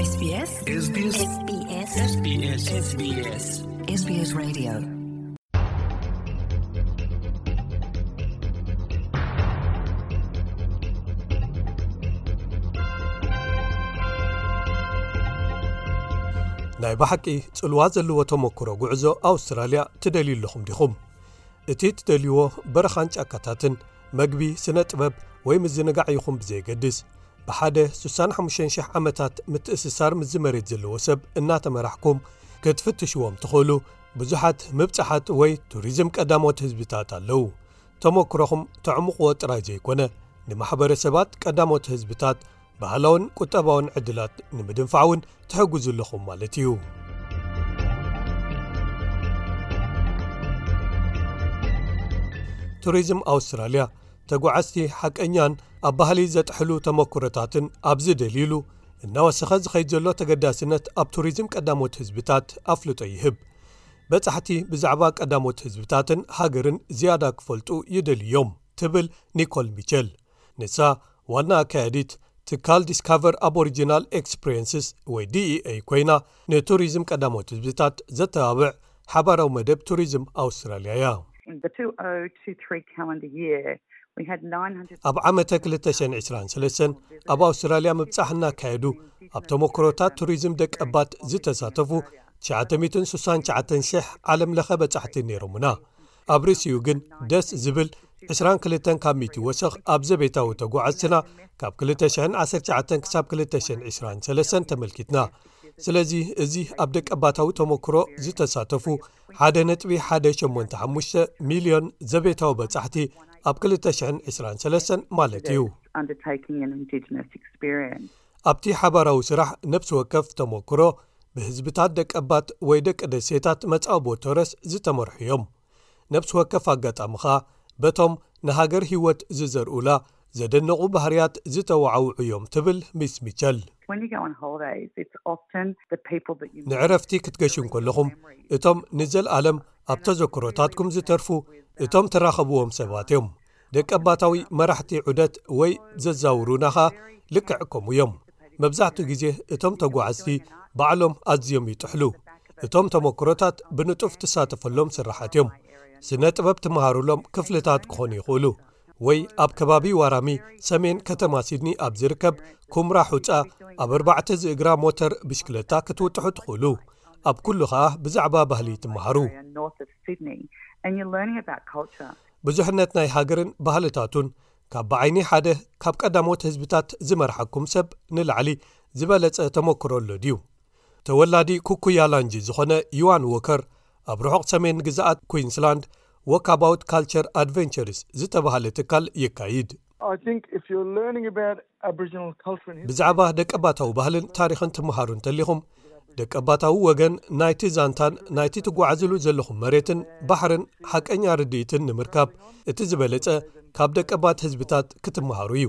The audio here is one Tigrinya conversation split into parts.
SBS SBS SBS SBS SBS Radio. ናይ ብሓቂ ጽልዋ ዘለዎ ተመክሮ ጉዕዞ ኣውስትራልያ ትደልዩ ኣለኹም ዲኹም? እቲ ትደልይዎ በረኻን ጫካታትን፣ መግቢ፣ ስነ ጥበብ ወይ ምዝንጋዕ ይኹን ብዘየገድስ፣ ብሓደ ስሳን ሓሙሽተን ሽሕ ዓመታት ምትእስሳር ምስዚ መሬት ዘለዎ ሰብ እናተመራሕኩም ክትፍትሽዎም ትኽእሉ ብዙሓት ምብጻሓት ወይ ቱሪዝም ቀዳሞት ህዝብታት ኣለዉ። ተመክሮኹም ተዕምቕዎ ጥራይ ዘይኮነ፣ ንማሕበረሰባት ቀዳሞት ህዝብታት ባህላውን ቁጠባውን ዕድላት ንምድንፋዕ እውን ትሕግዙ ኣለኹም ማለት እዩ። ቱሪዝም ኣውስትራልያ ተጓዓዝቲ ሓቀኛን ኣብ ባህሊ ዘጥሕሉ ተመክሮታትን ኣብ ዝደልዩሉ፣ እናወሰኸ ዝኸይድ ዘሎ ተገዳስነት ኣብ ቱሪዝም ቀዳሞት ህዝብታት ኣፍልጦ ይህብ። በጻሕቲ ብዛዕባ ቀዳሞት ህዝብታትን ሃገርን ዝያዳ ክፈልጡ ይደልዩ እዮም፣ ትብል ኒኮል ሚቸል። ንሳ ዋና ኣካያዲት ትካል ዲስካቨር ኣቦሪጂናል ኤክስፕሪየንስስ ወይ ዲኢኤ ኮይና፣ ንቱሪዝም ቀዳሞት ህዝብታት ዘተባብዕ ሓባራዊ መደብ ቱሪዝም ኣውስትራልያ እያ። In the two oh two three calendar year, we had nine hundred ኣብ ዓመተ ክልተ ሽሕን ዕስራን ሰለስተን ኣብ ኣውስትራልያ ምብጻሕ እናካየዱ፣ ኣብ ተመክሮታት ቱሪዝም ደቀባት ዝተሳተፉ ትሽዓተ ሚእትን ስሳን ትሽዓተን ሽሕ ዓለም ለኸ በጻሕቲ ነይሮምና። ኣብ ርእሲኡ ግን ደስ ዝብል ዕስራን ክልተን ካብ ሚእቲ ወሰኽ ኣብ ዘቤታዊ ተጓዓዝትና ካብ ክልተ ሽሕን ዓሰርተ ትሽዓተን ክሳብ ክልተ ሽሕን ዕስራን ሰለስተን ተመልኪትና። ስለዚ እዚ ኣብ ደቀባታዊ ተመክሮ ዝተሳተፉ ሓደ ነጥቢ ሓደ ሸሞንተ ሓሙሽተ ሚልዮን ዘቤታዊ በጻሕቲ ኣብ ክልተ ሽሕን ዕስራን ሰለስተን ማለት እዩ። Undertaking an Indigenous experience. ኣብቲ ሓባራዊ ስራሕ ነብሲ ወከፍ ተመክሮ ብህዝብታት ደቀባት ወይ ደቂ ደሴታት መጻብቦ ቶረስ ዝተመርሑ እዮም። ነብሲ ወከፍ ኣጋጣሚ ኸኣ በቶም ንሃገር ህይወት ዝዘርኡላ ዘደነቑ ባህርያት ዝተዋዓውዑ እዮም፣ ትብል ሚስ ሚቸል። When you go on holidays, it's often the people that you meet ንዕረፍቲ ክትገሹ እንከለኹም፣ እቶም ንዘለኣለም ኣብ ተዘክሮታትኩም ዝተርፉ እቶም ትራኸብዎም ሰባት እዮም። ደቀባታዊ መራሕቲ ዑደት ወይ ዘዛውሩና ኸኣ ልክዕ ከምኡ እዮም። መብዛሕትኡ ግዜ እቶም ተጓዓዝቲ ባዕሎም ኣዝዮም ይጥሕሉ። እቶም ተመክሮታት ብንጡፍ ትሳተፈሎም ስራሓት እዮም። ስነ ጥበብ ትመሃሩሎም ክፍልታት ክኾኑ ይኽእሉ፣ ወይ ኣብ ከባቢ ዋራሚ ሰሜን ከተማ ሲድኒ ኣብ ዝርከብ ኩምራ ሑጻ ኣብ ኣርባዕተ ዝእግራ ሞተር ብሽክለታ ክትውጥሑ ትኽእሉ። ኣብ ኩሉ ኸኣ ብዛዕባ ባህሊ ትመሃሩ። North of Sydney, and you're learning about culture. ብዙሕነት ናይ ሃገርን ባህልታቱን ካብ ብዓይኒ ሓደ ካብ ቀዳሞት ህዝብታት ዝመርሓኩም ሰብ ንላዕሊ ዝበለጸ ተመክሮ ኣሎ ድዩ? ተወላዲ ኩኩያላንጂ ዝኾነ ዩዋን ዎከር ኣብ ርሑቕ ሰሜን ግዝኣት ኩዊንስላንድ ዎካባውት ካልቸር ኣድቨንቸርስ ዝተባህለ ትካል የካይድ። I think if you're learning about Aboriginal culture and history ብዛዕባ ደቀባታዊ ባህልን ታሪኽን ትመሃሩ እንተሊኹም፣ ደቀባታዊ ወገን ናይቲ ዛንታን ናይቲ ትጓዓዝሉ ዘለኹም መሬትን ባሕርን ሓቀኛ ርድኢትን ንምርካብ፣ እቲ ዝበለጸ ካብ ደቀባት ህዝብታት ክትመሃሩ እዩ።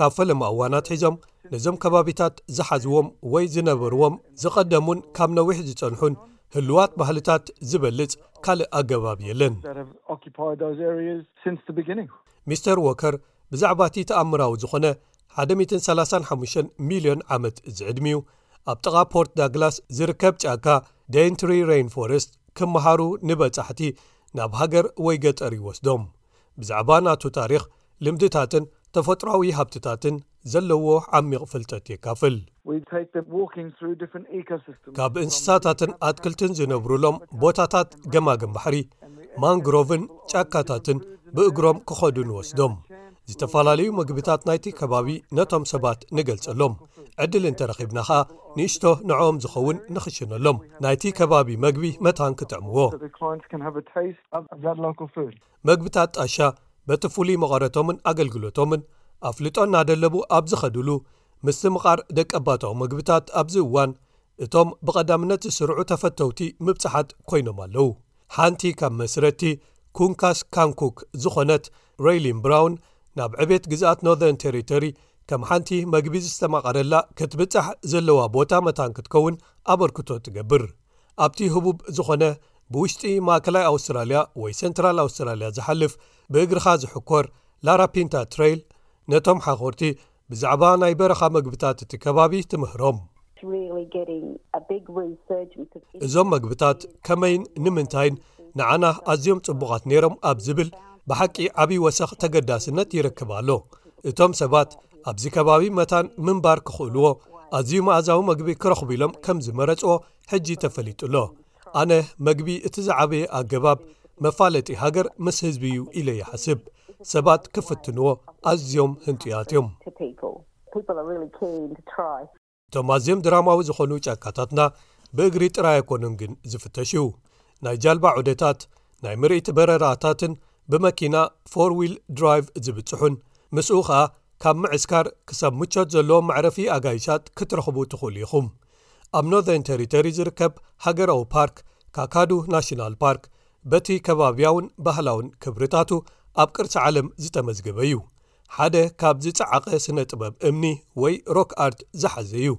ካብ ፈለማ እዋን ኣትሒዞም ነዞም ከባቢታት ዝሓዝዎም ወይ ዝነበርዎም ዝቐደሙን ካብ ነዊሕ ዝጸንሑን ህሉዋት ባህልታት ዝበልጽ ካልእ ኣገባብ የለን። That have occupied those areas since the beginning. ሚስተር ዎከር ብዛዕባ እቲ ተኣምራዊ ዝኾነ ሓደ ሚእትን ሰላሳን ሓሙሽተን ሚልዮን ዓመት ዝዕድሚኡ ኣብ ጥቓ ፖርት ዳግላስ ዝርከብ ጫካ ዴይንትሪ ሬይንፎረስት ክመሃሩ ንበጻሕቲ ናብ ሃገር ወይ ገጠር ይወስዶም። ብዛዕባ ናቱ ታሪኽ፣ ልምድታትን ተፈጥሮኣዊ ሃብትታትን ዘለዎ ዓሚቕ ፍልጠት የካፍል። We take them walking through different ecosystems. ካብ እንስሳታትን ኣትክልትን ዝነብሩሎም ቦታታት ገማግም ባሕሪ፣ ማንግሮቭን ጫካታትን ብእግሮም ክኸዱ ንወስዶም። ዝተፈላለዩ መግብታት ናይቲ ከባቢ ነቶም ሰባት ንገልጸሎም። ዕድል እንተረኺብና ኸኣ ንእሽቶ ንዕኦም ዝኸውን ንኽሽነሎም። ናይቲ ከባቢ መግቢ መታን ክጥዕምዎ። So the clients can have a taste of, of that local food. መግብታት ጣሻ በቲ ፍሉይ መቐረቶምን ኣገልግሎቶምን ኣፍልጦ እናደለቡ ኣብ ዝኸድሉ፣ ምስትምቓር ደቀባታዊ መግብታት ኣብዚ እዋን እቶም ብቐዳምነት ዝስርዑ ተፈተውቲ ምብጻሓት ኮይኖም ኣለዉ። ሓንቲ ካብ መስረቲ ኩንካስ ካንኩክ ዝኾነት ሬይሊን ብራውን ናብ ዕቤት ግዝኣት ኖርዘርን ቴሪቶሪ ከም ሓንቲ መግቢ ዝተማቐረላ ክትብጻሕ ዘለዋ ቦታ መታን ክትከውን ኣበርክቶ ትገብር። ኣብቲ ህቡብ ዝኾነ ብውሽጢ ማእከላይ ኣውስትራልያ ወይ ሴንትራል ኣውስትራልያ ዝሓልፍ ብእግርኻ ዝሕኮር ላራፒንታ ትሬይል ነቶም ሓኾርቲ ብዛዕባ ናይ በረኻ መግብታት እቲ ከባቢ ትምህሮም። Really getting a big resurgence of እዞም መግብታት ከመይን ንምንታይን ንዓና ኣዝዮም ጽቡቓት ነይሮም ኣብ ዝብል ብሓቂ ዓብዪ ወሰኽ ተገዳስነት ይረክብ ኣሎ። እቶም ሰባት ኣብዚ ከባቢ መታን ምንባር ክኽእልዎ ኣዝዩ መኣዛዊ መግቢ ክረኽቡ ኢሎም ከም ዝመረጽዎ ሕጂ ተፈሊጡ ኣሎ። ኣነ መግቢ እቲ ዝዓበየ ኣገባብ መፋለጢ ሃገር ምስ ህዝቢ እዩ ኢለ ይሓስብ። ሰባት ክፍትንዎ ኣዝዮም ህንጡያት እዮም። To people. People are really keen to try. እቶም ኣዝዮም ድራማዊ ዝኾኑ ጫካታትና ብእግሪ ጥራይ ኣይኮኑን ግን ዝፍተሹ። ናይ ጃልባ ዑደታት፣ ናይ ምርኢት በረራታትን ብመኪና ፎር ዊል ድራይቭ ዝብጽሑን፣ ምስኡ ኸኣ ካብ ምዕስካር ክሳብ ምቾት ዘለዎ መዕረፊ ኣጋይሻት ክትረኽቡ ትኽእሉ ኢኹም። ኣብ ኖርዘርን ቴሪቶሪ ዝርከብ ሃገራዊ ፓርክ ካካዱ ናሽናል ፓርክ በቲ ከባብያውን ባህላውን ክብርታቱ ኣብ ቅርሲ ዓለም ዝተመዝገበ እዩ። ሓደ ካብ ዝጸዓቐ ስነ ጥበብ እምኒ ወይ ሮክ ኣርት ዝሓዘ እዩ።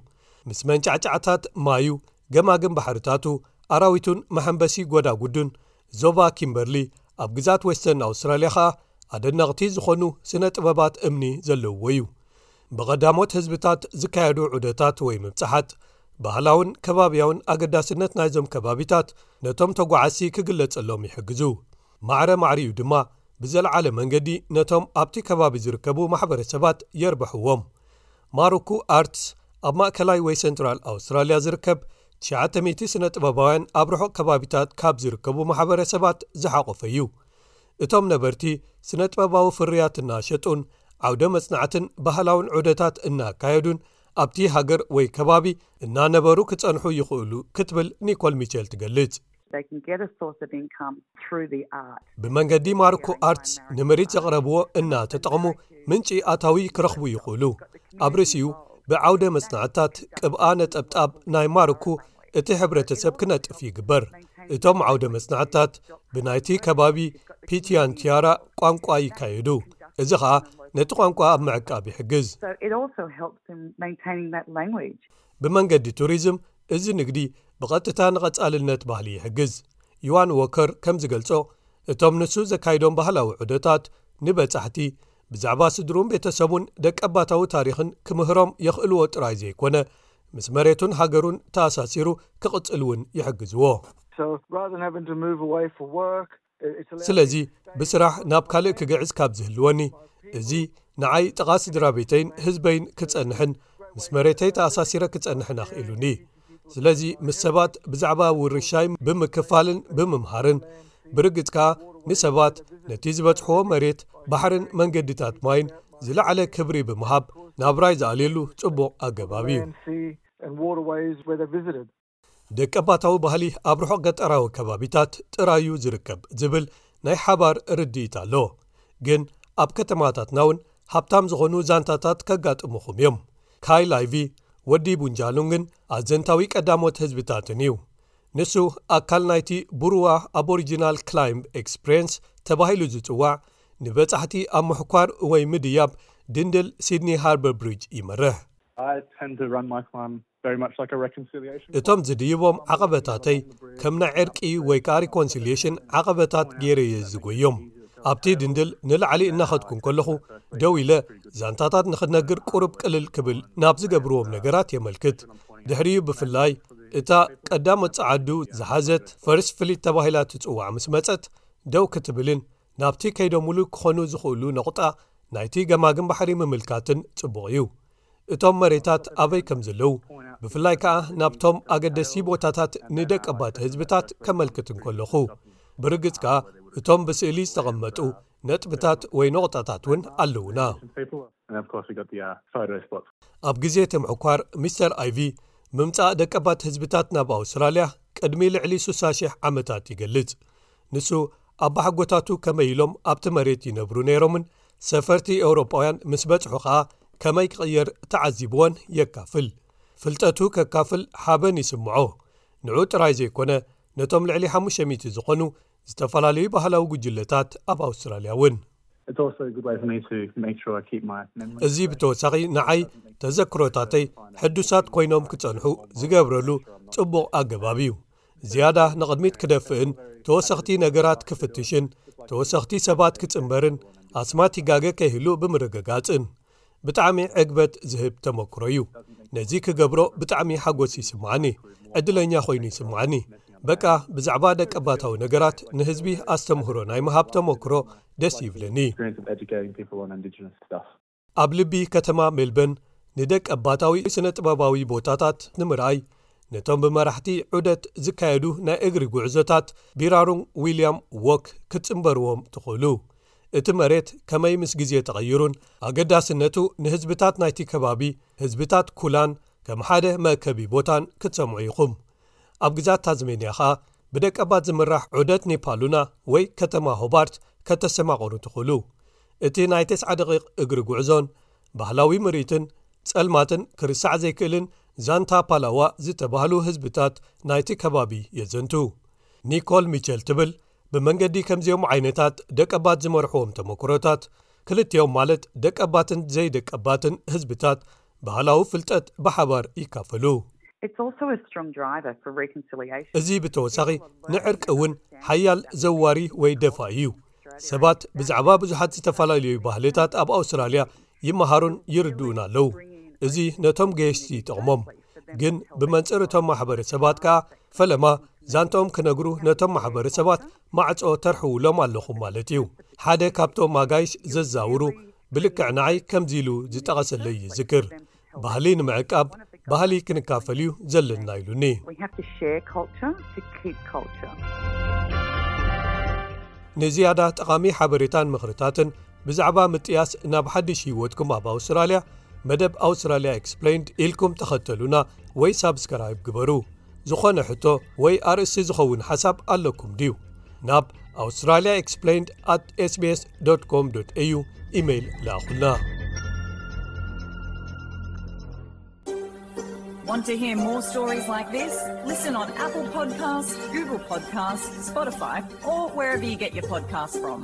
ምስ መንጫዕጫዕታት ማዩ፣ ገማግም ባሕርታቱ፣ ኣራዊቱን መሐንበሲ ጎዳጉዱን፣ ዞባ ኪምበርሊ ኣብ ግዛት ዌስተርን ኣውስትራልያ ኸኣ ኣደነቕቲ ዝኾኑ ስነ ጥበባት እምኒ ዘለውዎ እዩ። ብቐዳሞት ህዝብታት ዝካየዱ ዑደታት ወይ ምብጻሓት፣ ባህላውን ከባብያውን ኣገዳስነት ናይዞም ከባቢታት ነቶም ተጓዓዝቲ ክግለጸሎም ይሕግዙ። ማዕረ ማዕሪኡ ድማ ብዘለዓለ መንገዲ ነቶም ኣብቲ ከባቢ ዝርከቡ ማሕበረሰባት የርብሕዎም። ማሩኩ ኣርትስ ኣብ ማእከላይ ወይ ሰንትራል ኣውስትራልያ ዝርከብ ትሽዓተ ሚእቲ ስነ ጥበባውያን ኣብ ርሑቕ ከባቢታት ካብ ዝርከቡ ማሕበረሰባት ዝሓቖፈ እዩ። እቶም ነበርቲ ስነ ጥበባዊ ፍርያት እናሸጡን ዓውደ መጽናዕትን ባህላውን ዑደታት እናካየዱን ኣብቲ ሃገር ወይ ከባቢ እናነበሩ ክጸንሑ ይኽእሉ ክትብል ኒኮል ሚቸል ትገልጽ። They can get a source of income through the art. ብመንገዲ ማርኮ ኣርትስ ንምርኢት ዘቕረብዎ እናተጠቕሙ ምንጪ ኣታዊ ክረኽቡ ይኽእሉ። ኣብ ርእሲኡ ብዓውደ መጽናዕታት ቅብኣ ነጠብጣብ ናይ ማርኮ እቲ ሕብረተሰብ ክነጥፍ ይግበር። እቶም ዓውደ መጽናዕታት ብናይቲ ከባቢ ፒቲያን ቲያራ ቋንቋ ይካየዱ። እዚ ኸኣ ነቲ ቋንቋ ኣብ ምዕቃብ ይሕግዝ። So it also helps in maintaining that language. ብመንገዲ ቱሪዝም እዚ ንግዲ ብቐጥታ ንቐጻልነት ባህሊ ይሕግዝ። ዩዋን ዎከር ከም ዝገልጾ፣ እቶም ንሱ ዘካይዶም ባህላዊ ዑደታት ንበጻሕቲ ብዛዕባ ስድሩን ቤተሰቡን ደቀባታዊ ታሪኽን ክምህሮም የኽእልዎ ጥራይ ዘይኮነ፣ ምስ መሬቱን ሃገሩን ተኣሳሲሩ ክቕጽል እውን ይሕግዝዎ። So rather than having to move away for work, it's allowed ስለዚ ብስራሕ ናብ ካልእ ክግዕዝ ካብ ዝህልወኒ፣ እዚ ንዓይ ጥቓ ስድራ ቤተይን ህዝበይን ክጸንሕን ምስ መሬተይ ተኣሳሲረ ክጸንሕን ኣኽኢሉኒ። ስለዚ ምስ ሰባት ብዛዕባ ውርሻይ ብምክፋልን ብምምሃርን፣ ብርግጽ ከኣ ንሰባት ነቲ ዝበጽሕዎ መሬት፣ ባሕርን መንገድታት ማይን ዝለዓለ ክብሪ ብምሃብ ናብራይ ዝኣልየሉ ጽቡቕ ኣገባብ እዩ። land, sea and waterways where they visited. ደቀባታዊ ባህሊ ኣብ ርሑቕ ገጠራዊ ከባቢታት ጥራዩ ዝርከብ ዝብል ናይ ሓባር ርድኢት ኣሎ። ግን ኣብ ከተማታትና እውን ሃብታም ዝኾኑ ዛንታታት ከጋጥሙኹም እዮም። ካይል ኣይቪ ወዲ ቡንጃሉንግን ኣዘንታዊ ቀዳሞት ህዝብታትን እዩ። ንሱ ኣካል ናይቲ ቡሩዋ ኣቦሪጂናል ክላይምብ ኤክስፕሬንስ ተባሂሉ ዝጽዋዕ ንበጻሕቲ ኣብ ምሕኳር ወይ ምድያብ ድንድል ሲድኒ ሃርበር ብሪጅ ይመርሕ። I tend to run my farm very much like a reconciliation. እቶም ዝድይቦም ዓቐበታተይ ከም ናይ ዕርቂ ወይ ከኣ ሪኮንሲሊየሽን ዓቐበታት ገይረ እየ ዝጎዮም። ኣብቲ ድንድል ንላዕሊ እናኸድኩ እንከለኹ ደው ኢለ ዛንታታት ንኽነግር ቁሩብ ቅልል ክብል ናብ ዝገብርዎም ነገራት የመልክት። ድሕሪኡ ብፍላይ እታ ቀዳሞት ጸዓዱ ዝሓዘት ፈርስት ፍሊት ተባሂላ ትጽዋዕ ምስ መጸት ደው ክትብልን ናብቲ ከይዶምሉ ክኾኑ ዝኽእሉ ነቑጣ ናይቲ ገማግም ባሕሪ ምምልካትን ጽቡቕ እዩ። እቶም መሬታት ኣበይ ከም ዘለዉ ብፍላይ ከኣ ናብቶም ኣገደስቲ ቦታታት ንደቀባት ህዝብታት ከመልክት እንከለኹ ብርግጽ ከኣ እቶም ብስእሊ ዝተቐመጡ ነጥብታት ወይ ነቑጣታት እውን ኣለዉና። People, and of course we got the uh, photo spots. ኣብ ግዜ እቲ ምሕኳር ሚስተር ኣይቪ ምምጻእ ደቀባት ህዝብታት ናብ ኣውስትራልያ ቅድሚ ልዕሊ ስሳ ሽሕ ዓመታት ይገልጽ። ንሱ ኣባሓጎታቱ ከመይ ኢሎም ኣብቲ መሬት ይነብሩ ነይሮምን ሰፈርቲ ኤውሮጳውያን ምስ በጽሑ ኸኣ ከመይ ክቕየር ተዓዚብዎን የካፍል። ፍልጠቱ ከካፍል ሓበን ይስምዖ። ንዑ ጥራይ ዘይኮነ ነቶም ልዕሊ ሓሙሽተ ሚእቲ ዝኾኑ ዝተፈላለዩ ባህላዊ ጉጅለታት ኣብ ኣውስትራልያ እውን። It's also a good way for me to make sure I keep my memories. እዚ ብተወሳኺ ንዓይ ተዘክሮታተይ ሕዱሳት ኮይኖም ክጸንሑ ዝገብረሉ ጽቡቕ ኣገባብ እዩ። ዝያዳ ንቕድሚት ክደፍእን ተወሰኽቲ ነገራት ክፍትሽን ተወሰኽቲ ሰባት ክጽንበርን ኣስማት ይጋገ ከይህሉ ብምርግጋጽን። ብጣዕሚ ዕግበት ዝህብ ተመክሮ እዩ። ነዚ ክገብሮ ብጣዕሚ ሓጎስ ይስምዓኒ፣ ዕድለኛ ኮይኑ ይስምዓኒ። በቃ ብዛዕባ ደቀባታዊ ነገራት ንህዝቢ ኣስተምህሮ ናይ ምሃብ ተመክሮ ደስ ይብለኒ። ኣብ ልቢ ከተማ ሜልበርን ንደቀባታዊ ስነ ጥበባዊ ቦታታት ንምርኣይ ነቶም ብመራሕቲ ዑደት ዝካየዱ ናይ እግሪ ጉዕዞታት ቢራሩንግ ዊልያም ዎክ ክትጽንበርዎም ትኽእሉ። እቲ መሬት ከመይ ምስ ግዜ ተቐይሩን ኣገዳስነቱ ንህዝብታት ናይቲ ከባቢ ህዝብታት ኩላን ከም ሓደ መእከቢ ቦታን ክትሰምዑ ኢኹም። ኣብ ግዛት ታዝሜንያ ኸኣ ብደቀባት ዝምራሕ ዑደት ኒፓሉና ወይ ከተማ ሆባርት ከተሰማቕሩ ትኽእሉ። እቲ ናይ ተስዓ ደቂቕ እግሪ ጉዕዞን ባህላዊ ምርኢትን ጸልማትን ክርሳዕ ዘይክእልን ዛንታ ፓላዋ ዝተባህሉ ህዝብታት ናይቲ ከባቢ የዘንቱ። ኒኮል ሚቸል ትብል፣ ብመንገዲ ከምዚኦም ዓይነታት ደቀባት ዝመርሕዎም ተመክሮታት ክልቲኦም ማለት ደቀባትን ዘይደቀባትን ህዝብታት ባህላዊ ፍልጠት ብሓባር ይካፈሉ። It's also a strong driver for reconciliation. እዚ ብተወሳኺ ንዕርቂ እውን ሓያል ዘዋሪ ወይ ደፋ እዩ። ሰባት ብዛዕባ ብዙሓት ዝተፈላለዩ ባህልታት ኣብ ኣውስትራልያ ይመሃሩን ይርድኡን ኣለዉ። እዚ ነቶም ገየሽቲ ይጠቕሞም። ግን ብመንፅር እቶም ማሕበረሰባት ከኣ ፈለማ ዛንትኦም ክነግሩ ነቶም ማሕበረሰባት ማዕጾ ተርሕውሎም ኣለኹም ማለት እዩ። ሓደ ካብቶም ኣጋይሽ ዘዛውሩ ብልክዕ ንዓይ ከምዚ ኢሉ ዝጠቐሰለይ ይዝክር። ባህሊ ንምዕቃብ ባህሊ ክንካፈል እዩ ዘለና ኢሉኒ። We have to share culture to keep culture. ንዝያዳ ጠቓሚ ሓበሬታን ምኽርታትን ብዛዕባ ምጥያስ ናብ ሓድሽ ህይወትኩም ኣብ ኣውስትራልያ መደብ ኣውስትራልያ ኤክስፕሌይንድ ኢልኩም ተኸተሉና ወይ ሳብስክራይብ ግበሩ። ዝኾነ ሕቶ ወይ ኣርእስቲ ዝኸውን ሓሳብ ኣለኩም ድዩ? ናብ Australia Explained at S B S dot com dot A U ኢሜይል ለኣኹልና። Want to hear more stories like this? Listen on Apple Podcasts, Google Podcasts, Spotify, or wherever you get your podcasts from.